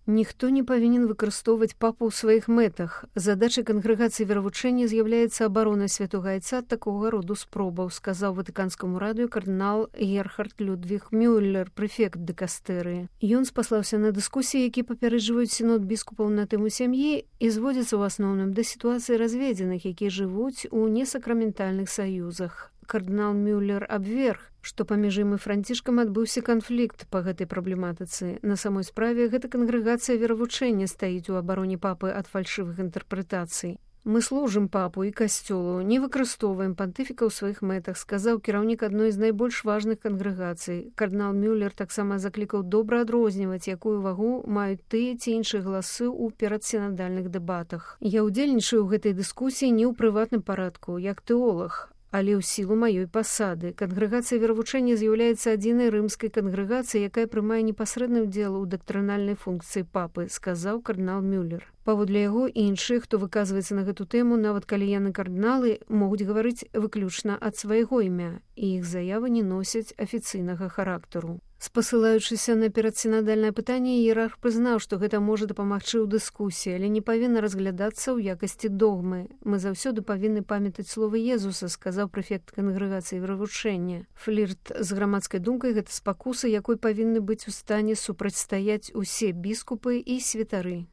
Ніхто не павінен выкарыстоўваць папу ў сваіх мэтах. Задачай кангрэгацыі веравучэння з'яўляецца абарона святога айца ад такога роду спробаў, сказаў ватыканскаму радыё кардынал Герхард Людвіг Мюллер, прэфект дыкастэрыі. Ён спаслаўся на дыскусіі, які папярэджваюць сінод біскупаў на тэму сям'і і зводзяцца ў асноўным да сітуацыі разведзеных, якія жывуць у несакраментальных саюзах. Кардынал Мюллер абверг, што паміж ім і Францішкам адбыўся канфлікт па гэтай праблематыцы. На самой справе гэта кангрэгацыя веравучэння стаіць у абароне папы ад фальшывых інтэрпрэтацый. Мы служым папу і касцёлу, не выкарыстоўваем пантыфіка ў сваіх мэтах, сказаў кіраўнік адной з найбольш важных кангрэгацый. Кардынал Мюллер таксама заклікаў добра адрозніваць, якую вагу маюць тыя ці іншыя галасы ў перадсінадальных дэбатах. Я ўдзельнічаю ў гэтай дыскусіі не ў прыватным парадку, як тэолаг, але ў сілу маёй пасады. Кангрэгацыя веравучэння з'яўляецца адзінай рымскай кангрэгацыяй, якая прымае непасрэдны ўдзел у дактрынальнай функцыі папы, сказаў кардынал Мюллер. Паводле яго, іншыя, хто выказваецца на гэту тэму, нават калі яны кардыналы, могуць гаварыць выключна ад свайго імя, і іх заявы не носяць афіцыйнага характару. Спасылаючыся на перадсінадальнае пытанне, іерарх прызнаў, што гэта можа дапамагчы ў дыскусіі, але не павінна разглядацца ў якасці догмы. Мы заўсёды павінны памятаць словы Езуса, сказаў прэфект кангрэгацыі веравучэння. Флірт з грамадскай думкай – гэта спакуса, якой павінны быць у стане супрацьстаяць усе біскупы і святары.